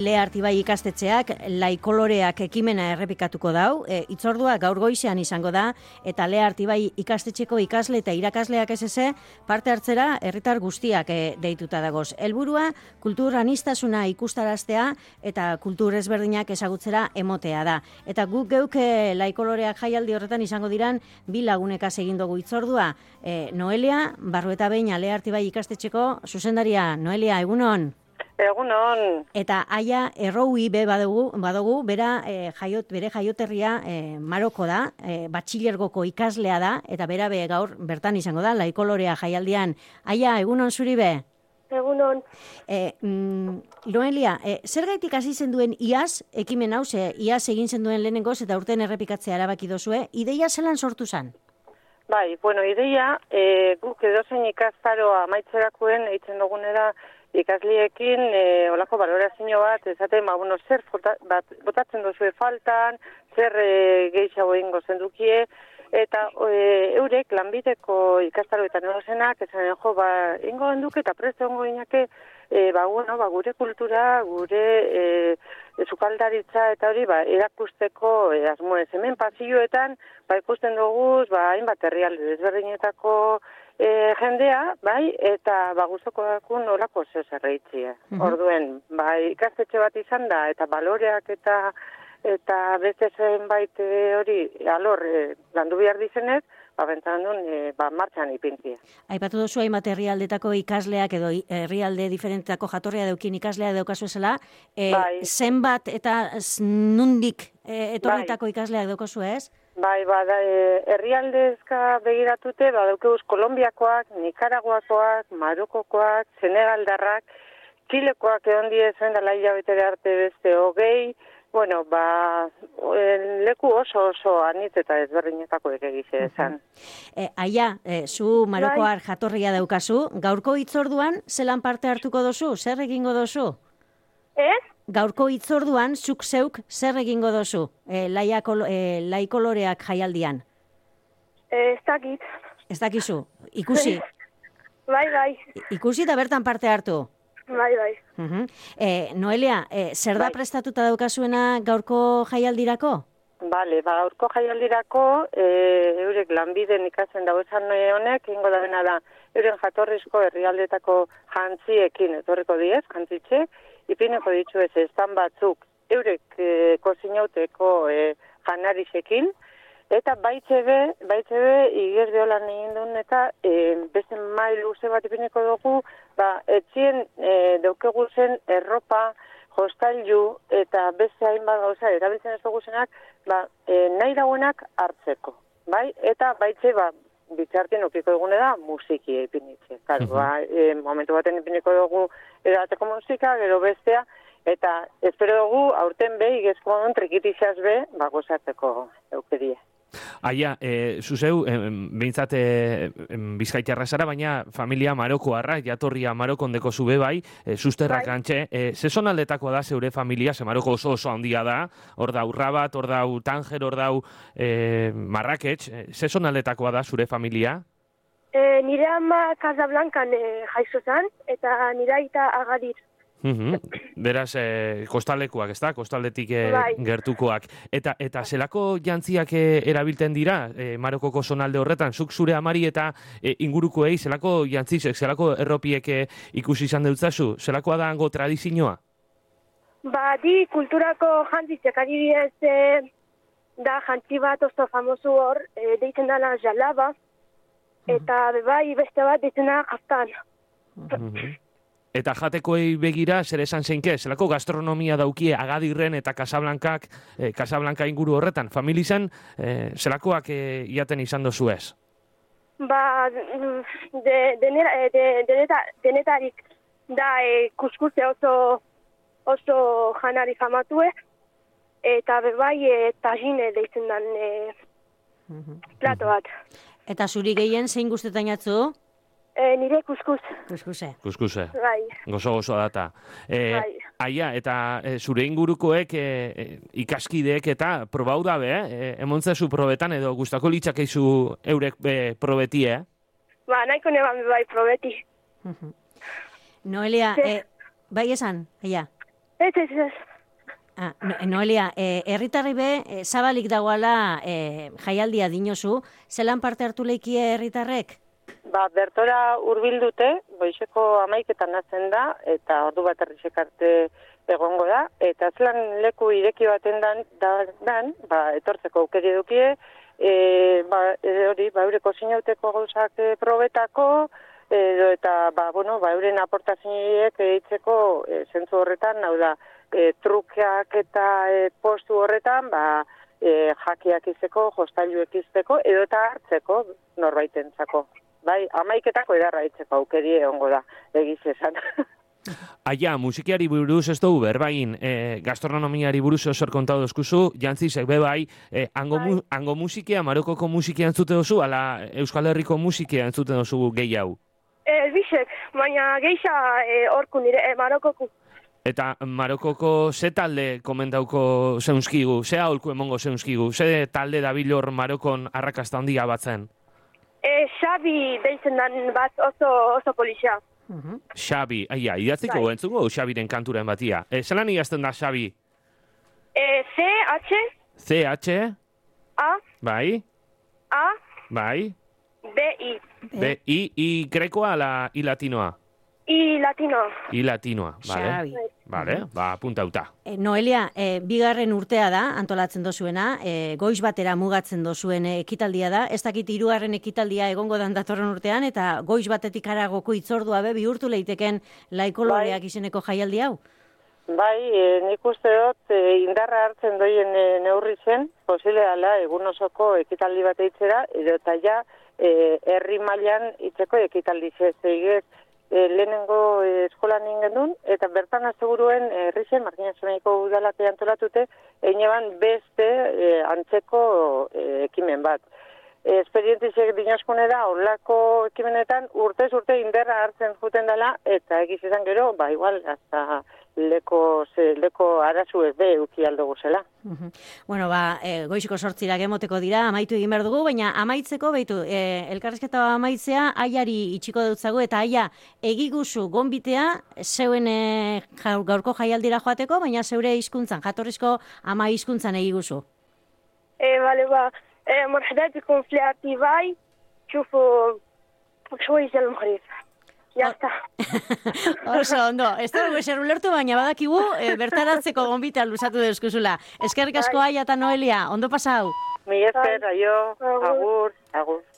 Artibai ikastetxeak laikoloreak ekimena errepikatuko dau, itzordua gaur goizean izango da, eta Artibai ikastetxeko ikasle eta irakasleak ez parte hartzera herritar guztiak deituta dagoz. Helburua kultur aniztasuna ikustaraztea eta kultur ezberdinak ezagutzera emotea da. Eta guk geuk laikoloreak jaialdi horretan izango diran bi lagunekaz egin dugu itzordua. Noelia, Barrueta Behin Artibai ikastetxeko zuzendaria. Noelia, egunon? Egunon. Eta aia erroui badugu, bere jaioterria Maroko da, batxilergoko ikaslea da, eta bera gaur bertan izango da, laikolorea jaialdian. Aia, egunon zuri be? Egunon. Noelia, zer gaitik hasi zenduen iaz, ekimen hau, iaz egin zenduen lehenengoz eta urten errepikatzea erabaki dozue, ideia zelan sortu zen? Bai, ideia, guk edozein ikastaroa amaitzerakoen eitzen dugunera ikasliekin olako balorazio bat, esaten, zer botatzen duzue faltan, zer gehiago egingo zendukie, eta eurek lanbideko ikastaroetan erosenak, esan ingo genduke eta presto ongo inake, gure kultura, gure sukaldaritza eta hori erakusteko asmoez. Hemen pasilloetan ikusten dugu hainbat herrialde desberdinetako jendea, eta gustoko dakun olako zerreitzia. Orduen, ikastetxe bat izan da, eta baloreak eta beste zenbait hori alor landu behar dizenez, bentan duen martxan ipintzia. Aipatu duzu hainbat herrialdetako ikasleak edo herrialde diferentetako jatorria daukin ikaslea daukazu esela, zenbat eta nundik etorritako ikasleak daukazu ez? Herrialdezka begiratute, daukeuz Kolombiakoak, Nikaraguakoak, Marokokoak, Senegaldarrak, Txilekoak egon diezen dela hilabetere arte beste hogei, leku oso anitz eta ezberdinetako egize esan. Aia, zu Marokoar jatorria daukazu, gaurko hitzorduan zelan parte hartuko dozu? Zer egingo dozu? Gaurko hitzorduan zuk zeuk zer egingo dozu? Laikoloreak jaialdian? Ez dakit. Ez dakizu? Ikusi? Bai. Ikusi eta bertan parte hartu? Bai. Noelia, zer da prestatuta daukazuena gaurko jaialdirako? Gaurko jaialdirako, eurek lanbiden ikasen dauezan honek, ingo da bena da, euren jatorrizko herrialdetako jantziekin etorriko diez, jantzitxe, ipineko ditu ez estan batzuk, eurek kozinauteko janarisekin, eta baitxebe igerde holan egin duen eta beste mail luze bat ipineko dugu, etxien daukegu zen erropa, hostailu eta beste hainbat gauza erabiltzen ez dugu zenak, nahi dauenak hartzeko. Eta baitxe bitxartien okiko dugune da musiki ipinitze. Momentu baten ipiniko dugu edateko musika, gero bestea, eta espero dugu aurten igezko modun trikitixaz gozatzeko eukerie. Aia, zuzeu, behintzat bizkaitarra zara, baina familia marokoarra, jatorria Marokon deko zube zuzterrak antxe. Zezon aldetako da zeure familia, ze Maroko oso handia da, hor dau Rabat, hor dau Tanger, hor dau Marrakech, zezon aldetakoa da zure familia? Nire ama Casablancan jaizo zan, eta nire aita Agadir. Beraz, kostalekuak, ez da? Kostaldetik gertukoak. Eta zelako jantziak erabilten dira Marokoko zonalde horretan? Zuk zure amari eta ingurukoei zelako jantzizek, zelako erropiek ikusi izan deutzazu? Zelakoa da hango tradizioa? Di kulturako jantzizek adibidez da jantzi bat oso famosu hor, deitzen dela jalaba, eta beste bat deitzen dela jaftan. Eta jatekoei begira, zer esan zeinke, zelako gastronomia daukie Agadirren eta Casablanca inguru horretan. Familizan, zelakoak iaten izan dozu ez? Denetarik da kuskuze oso janari famatue, eta tajine deitzen dan plato bat. Eta zuri gehien zein guztetan jatzu? Nire kuskus. Kuskuse. Bai. Gozo data. Aia, eta zure ingurukoek ikaskideek eta probau dabe, emontzezu probetan edo gustako litzakeizu eurek probetie? Nahiko neban probeti. Noelia, bai esan, aia? Ez. Noelia, herritarri be, zabalik dagoala jaialdia dinozu, zelan parte hartu leikie herritarrek? Bertora hurbildute, goizeko 11etan hasten da, eta ordu bat errizek arte egongo da, eta zelan leku ireki baten dan, etortzeko aukeri edukie, eureko zinauteko gauzak probetako, eta, euren aportazioek eitzeko zentzu horretan, hau da, trukeak eta postu horretan, jakiak izteko, jostailuek izteko, edo eta hartzeko norbaitentzako. Bai, 11etako edarra itzeko aukeri egongo da, egiz esan. Aia, musikiari buruz ez dugu berbain, gastronomiari buruz osor kontatu dozkuzu, jantzizek bebai, hango musikia, Marokoko musikia entzute dozu, ala Euskal Herriko musikia entzute dozu gehi hau? Bisek, baina geixa orku nire, Marokoko. Eta Marokoko ze talde komendauko zeunskigu, ze aholku emongo zeunskigu, ze talde dabilor Marokon arrakasta handia batzen? Xabi deitzen dan bat oso polizia. Xabi, idatziko entzungo Xabiren kanturen batia. Zelan idazten da Xabi? C-H C-H A Bai A Bai B-I I grekoa ala I latinoa? I latinoa, Xabi. Vale, apuntauta. Noelia, bigarren urtea da, antolatzen dozuena, goiz batera mugatzen dozuen ekitaldia da, ez dakit 3. ekitaldia egongo dan datorren urtean, eta goiz batetik aragoko itzordua bihurtu leiteken laikoloreak izeneko jaialdi hau? Bai, nik uste dut indarra hartzen doien neurri zen, posible dela egun osoko ekitaldi bat eitzera, edo eta ja herri mailan itzeko ekitaldi zegez, lehenengo eskolan ingendun, eta bertan aseguruen herrixen, Markinazunaiko udalate antolatute, eineban beste antzeko ekimen bat. Esperientizek dinoskune da, horlako ekimenetan urtez urte inderra hartzen juten dela, eta egizizan gero, igual, hasta leko arazu ez be uki aldugu zela. Bueno, goiziko 8 emoteko dira, amaitu egin behar dugu, baina amaitzeko, elkarrizketa amaitzea, aiari itxiko dutzago, eta aia egiguzu gonbitea, zeuen gaurko jaialdira joateko, baina zeure hizkuntzan, jatorrizko ama hizkuntzan egiguzu. مرحبا بكم في الاعتباي شوفوا شوية المغرب Jasta. Oso, ondo. Ez dugu eser ulertu, baina badakigu bertaratzeko gonbita luzatu deuskuzula. Eskerrik asko Aia eta Noelia, ondo pasau. Mi esker, aio, agur.